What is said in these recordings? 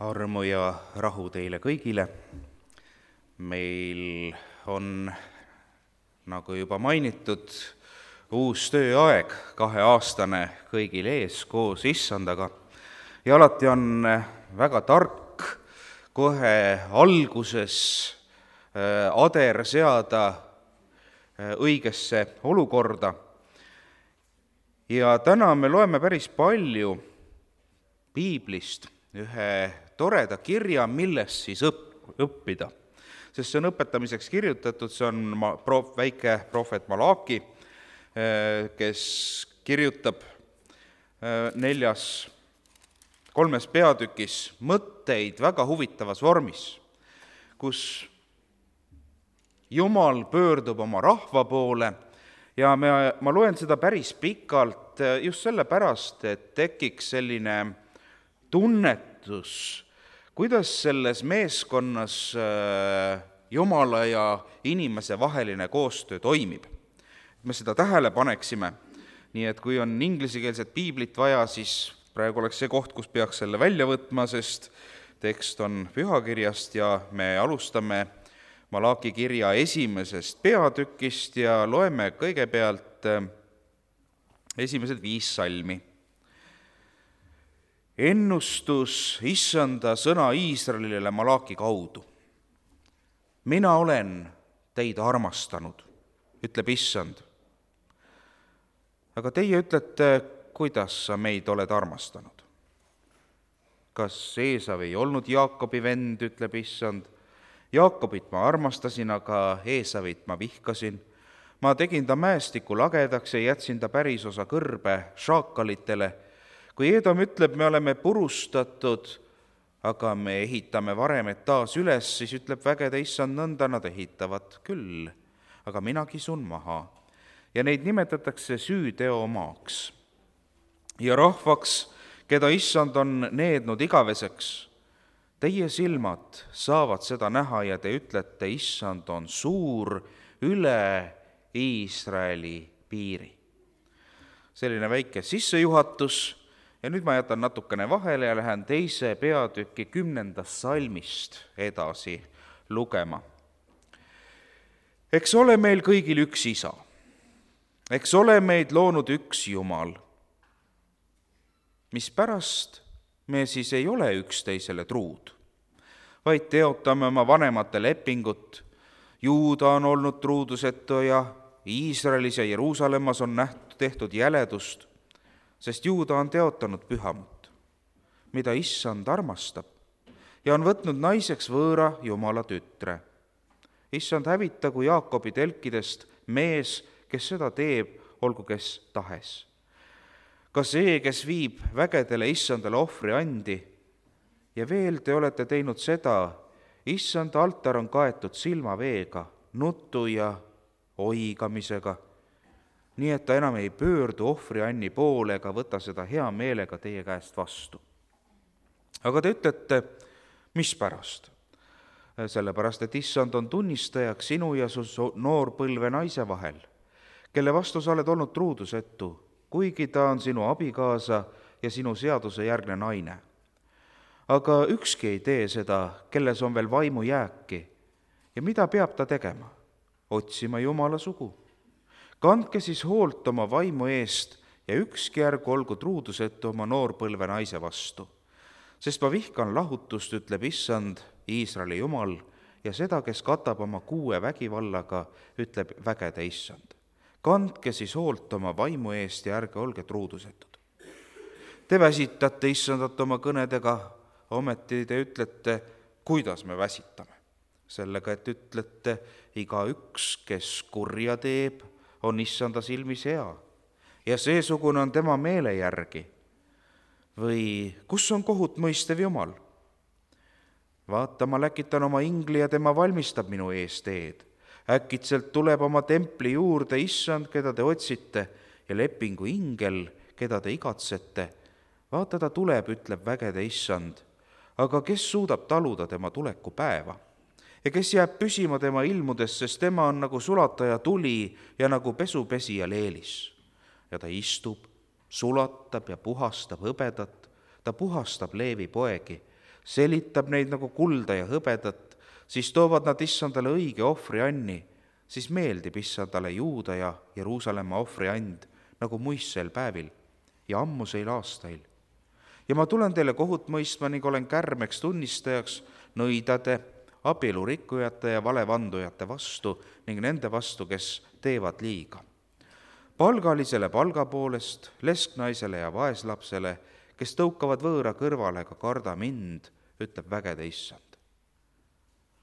Armu ja rahu teile kõigile. Meil on, nagu juba mainitud, uus tööaeg, 2-aastane kõigil ees koos issandaga. Ja alati on väga tark kohe alguses ader seada õigesse olukorda. Ja täna me loeme päris palju piiblist ühe toreda kirja, millest siis õppida. Sest see on õpetamiseks kirjutatud, see on väike prohvet Malaki, kes kirjutab 3 peatükis mõtteid väga huvitavas vormis, kus Jumal pöördub oma rahva poole ja ma loen seda päris pikalt just sellepärast, et tekiks selline tunnetus, kuidas selles meeskonnas Jumala ja inimese vaheline koostöö toimib. Me seda tähele paneksime, nii et kui on ingliskeelset piiblit vaja, siis praegu oleks see koht, kus peaks selle välja võtma, sest tekst on pühakirjast ja me alustame Malaki kirja 1. peatükist ja loeme kõigepealt esimesed 5 salmi. Ennustus issanda sõna Iisraelile Malaki kaudu. Mina olen teid armastanud, ütleb issand. Aga teie ütlete, kuidas sa meid oled armastanud? Kas Eesav ei olnud Jaakobi vend, ütleb issand. Jaakobit ma armastasin, aga Eesavit ma vihkasin. Ma tegin ta mäestiku lagedaks ja jätsin ta pärisosa kõrbe šaakalitele. Kui Eedom ütleb, me oleme purustatud, aga me ehitame varemed taas üles, siis ütleb vägede issand, nõnda nad ehitavad küll, aga mina kisun maha. Ja neid nimetatakse süüteomaaks. Ja rahvaks, keda issand on neednud igaveseks, teie silmad saavad seda näha ja te ütlete, issand on suur üle Iisraeli piiri. Selline väike sissejuhatus. Ja nüüd ma jätan natukene vahele ja lähen 2. peatüki 10. salmist edasi lugema. Eks ole meil kõigil üks isa. Eks ole meid loonud üks Jumal. Mispärast me siis ei ole üksteisele truud, vaid teotame oma vanemate lepingut. Juuda on olnud truudusetu ja Iisraelis ja Jeruusalemmas on tehtud jäledust, sest Juuda on teotanud pühamut, mida issand armastab, ja on võtnud naiseks võõra Jumala tütre. Issand hävitagu Jaakobi telkidest mees, kes seda teeb, olgu kes tahes. Ka see, kes viib vägedele issandale ohvri andi, ja veel te olete teinud seda, issand altar on kaetud silmaveega, nutu ja oigamisega, nii et ta enam ei pöördu ohvrianni poole ega võta seda hea meelega teie käest vastu. Aga te ütlete, mispärast? Sellepärast, et issand on tunnistajaks sinu ja su noorpõlve naise vahel, kelle vastu sa oled olnud truudusetu, kuigi ta on sinu abikaasa ja sinu seaduse järgne naine. Aga ükski ei tee seda, kelles on veel vaimu jääki. Ja mida peab ta tegema? Otsima Jumala sugu. Kandke siis hoolt oma vaimu eest ja ükski ärgu olgu truudusetu oma noorpõlve naise vastu. Sest ma vihkan lahutust, ütleb issand, Iisraeli Jumal, ja seda, kes katab oma kuue vägivallaga, ütleb vägede issand. Kandke siis hoolt oma vaimu eest ja ärge olge truudusetud. Te väsitate issandat oma kõnedega, ometi te ütlete, kuidas me väsitame. Sellega, et ütlete, iga üks, kes kurja teeb, on issanda silmis hea ja seesugune on tema meele järgi. Või kus on kohut mõistev Jumal? Vaata, ma läkitan oma ingli ja tema valmistab minu ees teed. Äkitselt tuleb oma templi juurde issand, keda te otsite, ja lepingu ingel, keda te igatsete. Vaata, ta tuleb, ütleb vägede issand, aga kes suudab taluda tema tuleku päeva? Ja kes jääb püsima tema ilmudes, sest tema on nagu sulataja tuli ja nagu pesupesija leelis. Ja ta istub, sulatab ja puhastab hõbedat, ta puhastab Leevi poegi, selitab neid nagu kulda ja hõbedat, siis toovad nad issandale õige ohvrianni, siis meeldib issandale Juuda ja Jeruusalemma ohvriand nagu muistsel päevil ja ammuseil aastail. Ja ma tulen teile kohut mõistma ning olen kärmeks tunnistajaks nõidade, abielurikkujate ja valevandujate vastu ning nende vastu, kes teevad liiga. Palgalisele palga poolest, lesknaisele ja vaeslapsele, kes tõukavad võõra kõrvale, ka karda mind, ütleb vägede issand.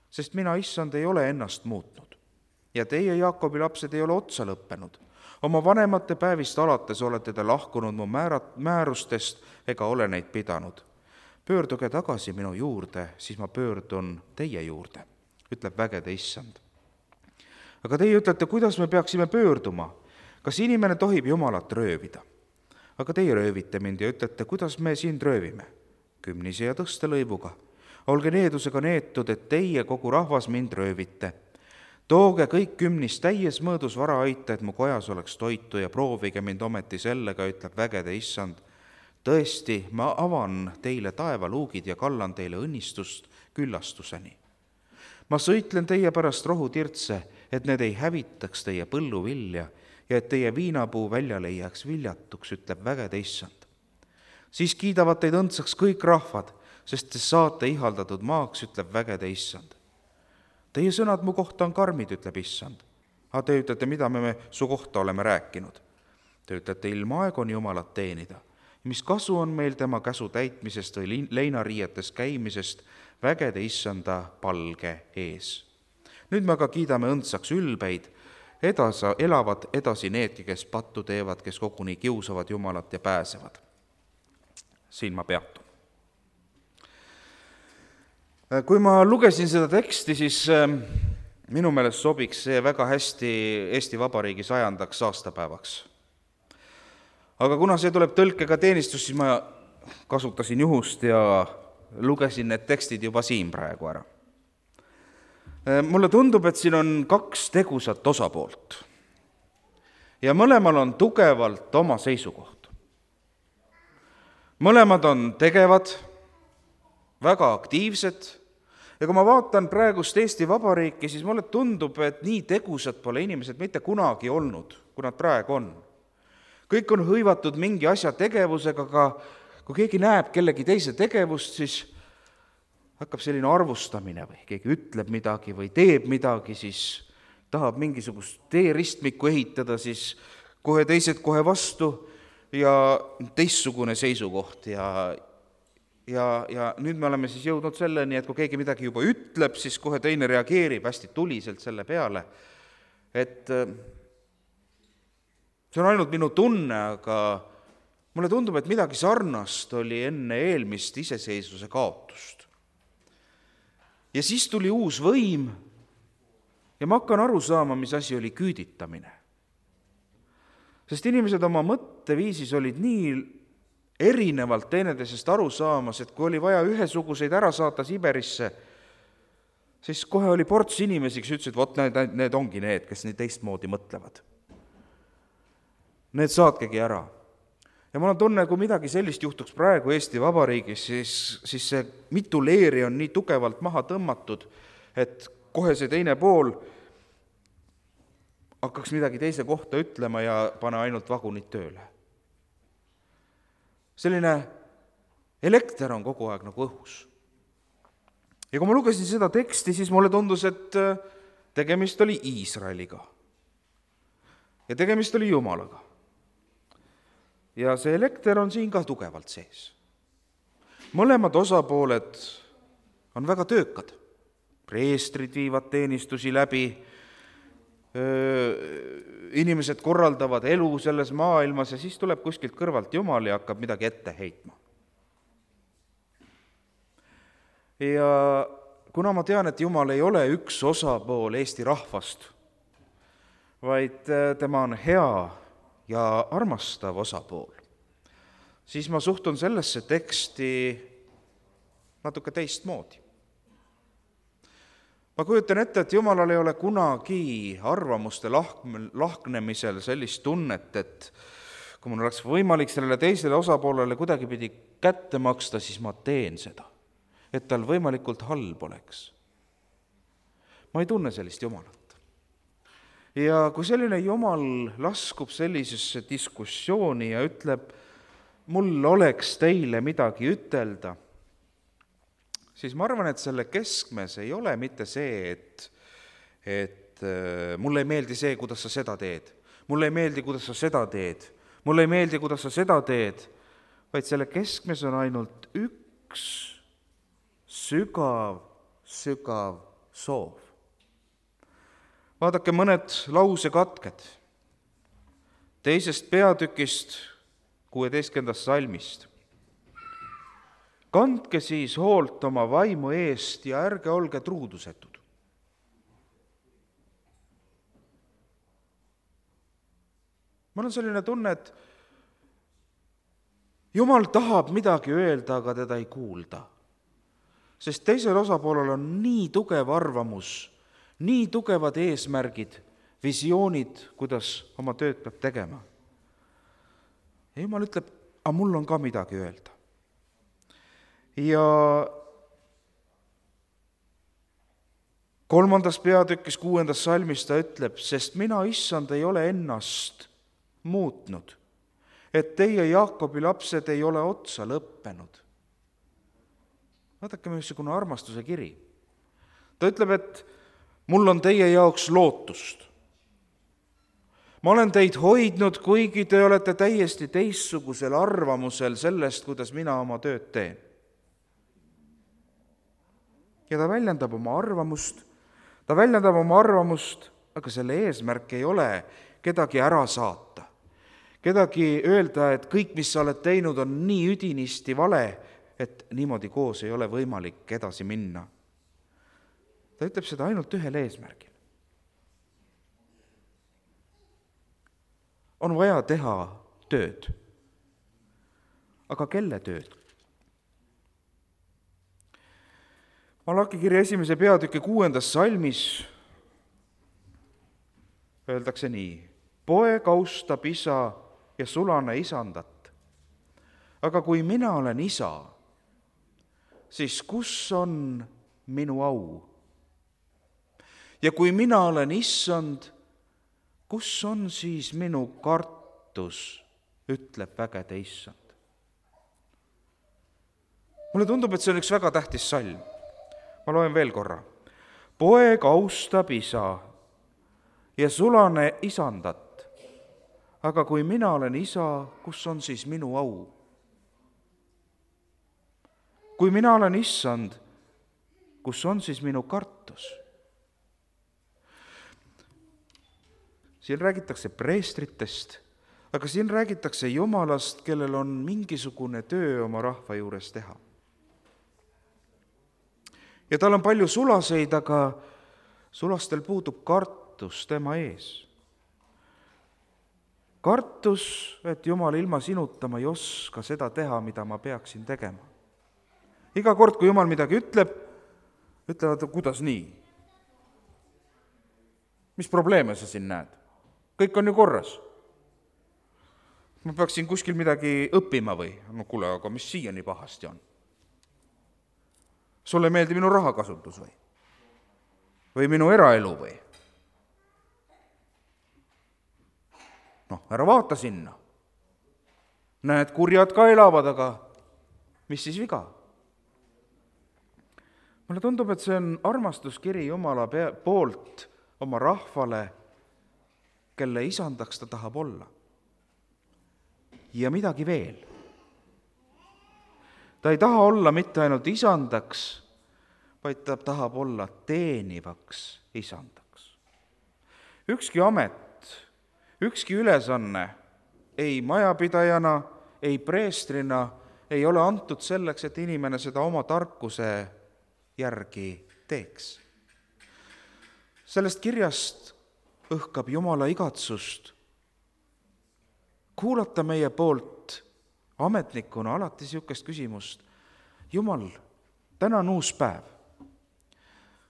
Sest mina, issand, ei ole ennast muutnud ja teie, Jaakobi lapsed, ei ole otsa lõppenud. Oma vanemate päevist alates olete te lahkunud mu määrustest ega ole neid pidanud. Pöörduge tagasi minu juurde, siis ma pöördun teie juurde, ütleb vägede issand. Aga teie ütlete, kuidas me peaksime pöörduma? Kas inimene tohib Jumalat röövida? Aga teie röövite mind ja ütlete, kuidas me sind röövime? Kümnise ja tõstelõivuga. Olge needusega neetud, et teie, kogu rahvas, mind röövite. Tooge kõik kümnist täies mõõdus vara aita, et mu kojas oleks toitu ja proovige mind ometi sellega, ütleb vägede issand. Tõesti, ma avan teile taevaluugid ja kallan teile õnnistust küllastuseni. Ma sõitlen teie pärast rohutirtse, et need ei hävitaks teie põlluvilja ja et teie viinapuu väljale ei jääks viljatuks, ütleb vägede issand. Siis kiidavad teid õndsaks kõik rahvad, sest te saate ihaldatud maaks, ütleb vägede issand. Teie sõnad mu kohta on karmid, ütleb issand. Aga te ütlete, mida me su kohta oleme rääkinud. Te ütlete, ilmaaeg on Jumalat teenida. Mis kasu on meil tema käsu täitmisest või leinariietes käimisest vägede issanda palge ees. Nüüd me aga kiidame õndsaks ülbeid, elavad edasi needki, kes pattu teevad, kes koguni kiusavad Jumalat ja pääsevad. Siin ma peatun. Kui ma lugesin seda teksti, siis minu meelest sobiks see väga hästi Eesti Vabariigi 100. aastapäevaks. Aga kuna see tuleb tõlkega teenistus, siis ma kasutasin juhust ja lugesin need tekstid juba siin praegu ära. Mulle tundub, et siin on 2 tegusat osapoolt ja mõlemal on tugevalt oma seisukoht. Mõlemad on tegevad, väga aktiivsed ja kui ma vaatan praegust Eesti Vabariiki, siis mulle tundub, et nii tegusad pole inimesed mitte kunagi olnud, kui nad praegu on. Kõik on hõivatud mingi asja tegevusega, aga kui keegi näeb kellegi teise tegevust, siis hakkab selline arvustamine või keegi ütleb midagi või teeb midagi, siis tahab mingisugust teeristmikku ehitada, siis kohe teised kohe vastu ja teistsugune seisukoht ja nüüd me oleme siis jõudnud selleni, et kui keegi midagi juba ütleb, siis kohe teine reageerib hästi tuliselt selle peale, et see on ainult minu tunne, aga mulle tundub, et midagi sarnast oli enne eelmist iseseisvuse kaotust. Ja siis tuli uus võim ja ma hakkan aru saama, mis asi oli küüditamine. Sest inimesed oma mõtteviisis olid nii erinevalt teineteisest aru saamas, et kui oli vaja ühesuguseid ära saata Siberisse, siis kohe oli ports inimesi, kes ütlesid, vot need ongi need, kes nii teistmoodi mõtlevad. Need saatkegi ära. Ja mul on tunne, kui midagi sellist juhtuks praegu Eesti Vabariigis, siis see mitu leeri on nii tugevalt maha tõmmatud, et kohe see teine pool hakkaks midagi teise kohta ütlema ja pane ainult vagunid tööle. Selline elekter on kogu aeg nagu õhus. Ja kui ma lugesin seda teksti, siis mulle tundus, et tegemist oli Iisraeliga. Ja tegemist oli Jumalaga. Ja see elekter on siin ka tugevalt sees. Mõlemad osapooled on väga töökad. Preestrid viivad teenistusi läbi, inimesed korraldavad elu selles maailmas ja siis tuleb kuskilt kõrvalt Jumal ja hakkab midagi ette heitma. Ja kuna ma tean, et Jumal ei ole üks osapool Eesti rahvast, vaid tema on hea ja armastav osapool, siis ma suhtun sellesse teksti natuke teistmoodi. Ma kujutan ette, et Jumalal ei ole kunagi arvamuste lahknemisel sellist tunnet, et kui mul oleks võimalik sellele teisele osapoolele kuidagipidi kätte maksta, siis ma teen seda. et tal võimalikult halb oleks. Ma ei tunne sellist Jumalat. Ja kui selline Jumal laskub sellisesse diskussiooni ja ütleb, mul oleks teile midagi ütelda, siis ma arvan, et selle keskmes ei ole mitte see, et mulle ei meeldi see, kuidas sa seda teed, mulle ei meeldi, kuidas sa seda teed, mulle ei meeldi, kuidas sa seda teed, vaid selle keskmes on ainult üks sügav soov. Vaadake mõned lausekatked 2. peatükist 16. salmist. Kandke siis hoolt oma vaimu eest ja ärge olge truudusetud. Mul on selline tunne, et Jumal tahab midagi öelda, aga teda ei kuulda. Sest teisel osapoolel on nii tugev arvamus, nii tugevad eesmärgid, visioonid, kuidas oma tööd peab tegema. Ja Jumal ütleb, aga mul on ka midagi öelda. Ja 3. peatükis 6. salmis ta ütleb, sest mina, issand, ei ole ennast muutnud, et teie, Jaakobi lapsed, ei ole otsa lõppenud. Vaadake, missugune armastuse kiri. Ta ütleb, et mul on teie jaoks lootust. Ma olen teid hoidnud, kuigi te olete täiesti teistsugusel arvamusel sellest, kuidas mina oma tööd teen. Ja ta väljendab oma arvamust, aga selle eesmärk ei ole kedagi ära saata. Kedagi öelda, et kõik, mis sa oled teinud, on nii üdinisti vale, et niimoodi koos ei ole võimalik edasi minna. Ta ütleb seda ainult ühel eesmärgil. On vaja teha tööd. Aga kelle tööd? Malachi kirja 1. peatüki 6. salmis öeldakse nii. Poeg austab isa ja sulane isandat. Aga kui mina olen isa, siis kus on minu au? Ja kui mina olen issand, kus on siis minu kartus, ütleb vägede issand. Mulle tundub, et see on üks väga tähtis salm. Ma loen veel korra. Poeg austab isa ja sulane isandat. Aga kui mina olen isa, kus on siis minu au? Kui mina olen issand, kus on siis minu kartus? Siin räägitakse preestritest, aga siin räägitakse Jumalast, kellel on mingisugune töö oma rahva juures teha. Ja tal on palju sulaseid, aga sulastel puudub kartus tema ees. Kartus, et Jumal ilma sinuta ma ei oska seda teha, mida ma peaksin tegema. Iga kord, kui Jumal midagi ütlevad, kuidas nii? Mis probleeme sa siin näed? Kõik on ju korras. Ma peaksin kuskil midagi õppima või? No kuule, aga mis siiani pahasti on? Sulle meeldi minu rahakasutus või? Või minu eraelu või? Noh, ära vaata sinna. Näed, kurjad ka elavad, aga mis siis viga? Mulle tundub, et see on armastuskiri Jumala poolt oma rahvale, kelle isandaks ta tahab olla. Ja midagi veel. Ta ei taha olla mitte ainult isandaks, vaid ta tahab olla teenivaks isandaks. Ükski amet, ükski ülesanne, ei majapidajana, ei preestrina ei ole antud selleks, et inimene seda oma tarkuse järgi teeks. Sellest kirjast õhkab Jumala igatsust kuulata meie poolt ametnikuna alati niisugust küsimust. Jumal, täna on uus päev.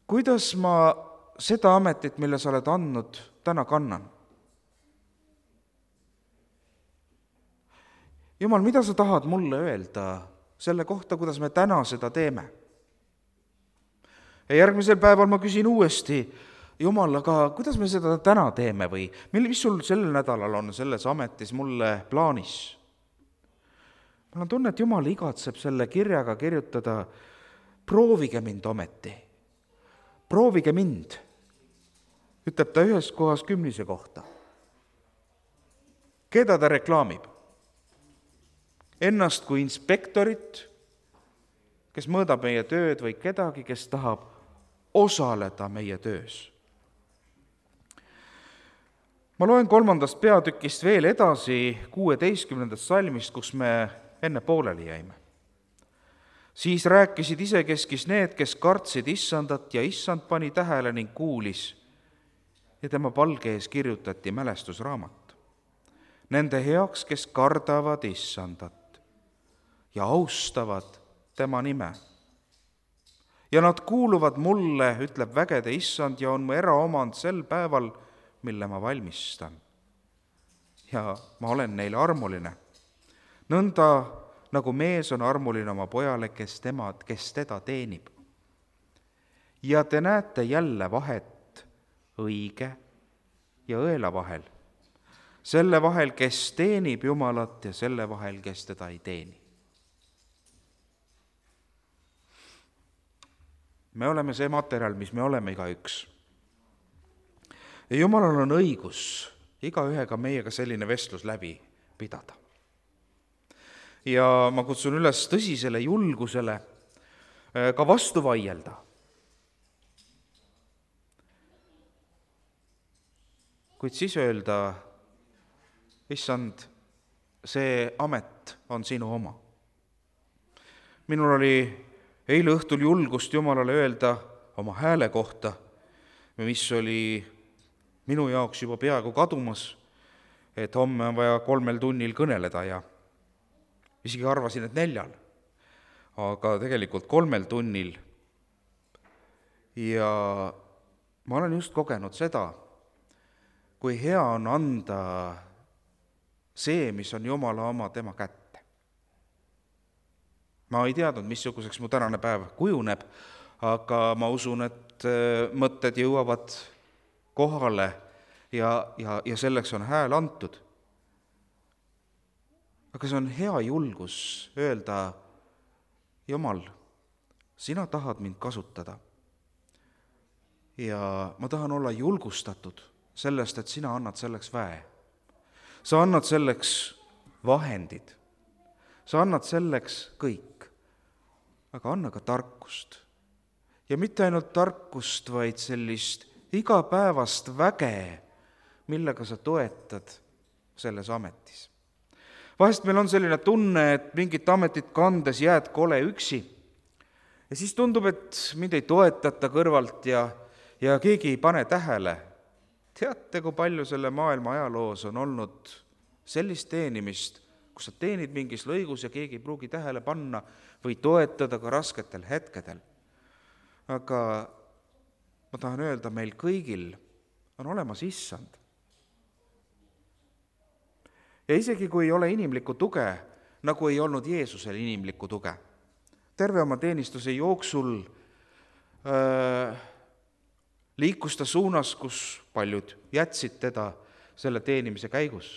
Kuidas ma seda ametit, mille sa oled andnud, täna kannan? Jumal, mida sa tahad mulle öelda selle kohta, kuidas me täna seda teeme? ja järgmisel päeval ma küsin uuesti, Jumal, aga kuidas me seda täna teeme või mis sul sellel nädalal on selles ametis mulle plaanis? Mul on tunne, et Jumal igatseb selle kirjaga kirjutada, proovige mind ometi, proovige mind, ütleb ta ühes kohas 10 kohta. Keda ta reklaamib? Ennast kui inspektorit, kes mõõdab meie tööd, või kedagi, kes tahab osaleda meie töös. Ma loen 3. peatükist veel edasi 16. salmist, kus me enne pooleli jäime. Siis rääkisid isekeskis need, kes kartsid Issandat ja Issand pani tähele ning kuulis ja tema palge ees kirjutati mälestusraamat. Nende heaks, kes kardavad Issandat ja austavad tema nime. Ja nad kuuluvad mulle, ütleb vägede Issand, ja on mu eraomand sel päeval, mille ma valmistan. Ja ma olen neile armuline. Nõnda nagu mees on armuline oma pojale, kes teda teenib. Ja te näete jälle vahet õige ja õela vahel. Selle vahel, kes teenib Jumalat, ja selle vahel, kes teda ei teeni. Me oleme see materjal, mis me oleme igaüks. Ja Jumalal on õigus igaühega meiega selline vestlus läbi pidada. Ja ma kutsun üles tõsisele julgusele ka vastu vaielda. Kuid siis öelda, Issand, see amet on sinu oma. Minul oli eile õhtul julgust Jumalale öelda oma hääle kohta, mis oli minu jaoks juba peaaegu kadumas, et homme on vaja 3 tunnil kõneleda ja isegi arvasin, et 4, aga tegelikult 3 tunnil. Ja ma olen just kogenud seda, kui hea on anda see, mis on Jumala oma, tema kätte. Ma ei teadnud, missuguseks mu tänane päev kujuneb, aga ma usun, et mõtted jõuavad kohale ja selleks on hääl antud. Aga see on hea julgus öelda, Jumal, sina tahad mind kasutada. Ja ma tahan olla julgustatud sellest, et sina annad selleks väe. Sa annad selleks vahendid. Sa annad selleks kõik. Aga anna ka tarkust. Ja mitte ainult tarkust, vaid sellist igapäevast väge, millega sa toetad selles ametis. Vahest meil on selline tunne, et mingit ametit kandes jääd kole üksi. Ja siis tundub, et mind ei toetata kõrvalt ja keegi ei pane tähele. Teate, kui palju selle maailma ajaloos on olnud sellist teenimist, kus sa teenid mingis lõigus ja keegi ei pruugi tähele panna või toetada ka rasketel hetkedel. Aga ma tahan öelda, meil kõigil on olemas Issand. Ja isegi kui ei ole inimlikku tuge, nagu ei olnud Jeesusel inimlikku tuge. Terve oma teenistuse jooksul liikus ta suunas, kus paljud jätsid teda selle teenimise käigus.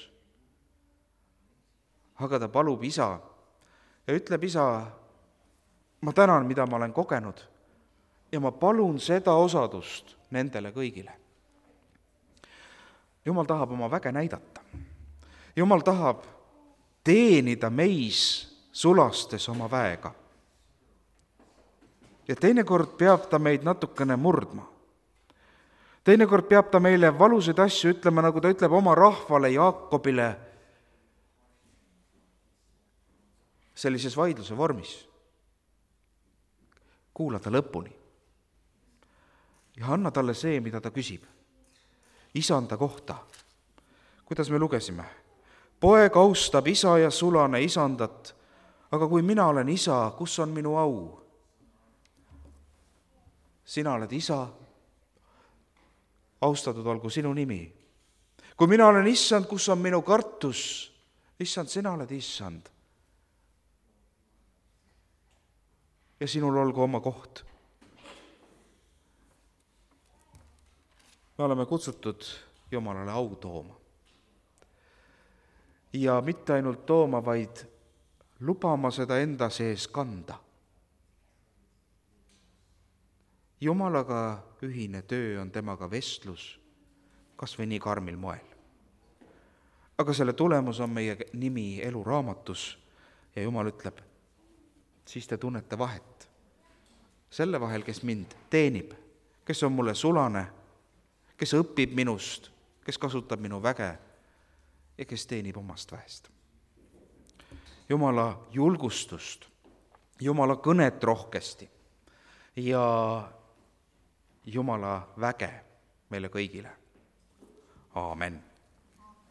Aga ta palub Isa ja ütleb, Isa, ma tänan, mida ma olen kogenud ja ma palun seda osadust nendele kõigile. Jumal tahab oma väge näidata. Jumal tahab teenida meis sulastes oma väega. Ja teinekord peab ta meid natukene murdma. Teinekord peab ta meile valusaid asju ütlema, nagu ta ütleb oma rahvale Jaakobile sellises vaidluse vormis. Kuula ta lõpuni ja anna talle see, mida ta küsib. Isanda kohta. Kuidas me lugesime? Poeg austab isa ja sulane isandat, aga kui mina olen isa, kus on minu au? Sina oled isa, austatud olgu sinu nimi. Kui mina olen issand, kus on minu kartus? Issand, sina oled issand. Ja sinul olgu oma koht. me oleme kutsutud Jumalale au tooma. Ja mitte ainult tooma, vaid lubama seda enda sees kanda. Jumalaga ühine töö on temaga vestlus, kas või nii karmil moel. Aga selle tulemus on meie nimi eluraamatus ja Jumal ütleb, siis te tunnete vahet. Selle vahel, kes mind teenib, kes on mulle sulane, kes õpib minust, kes kasutab minu väge ja kes teenib omast väest. Jumala julgustust, Jumala kõnet rohkesti ja Jumala väge meile kõigile. Aamen.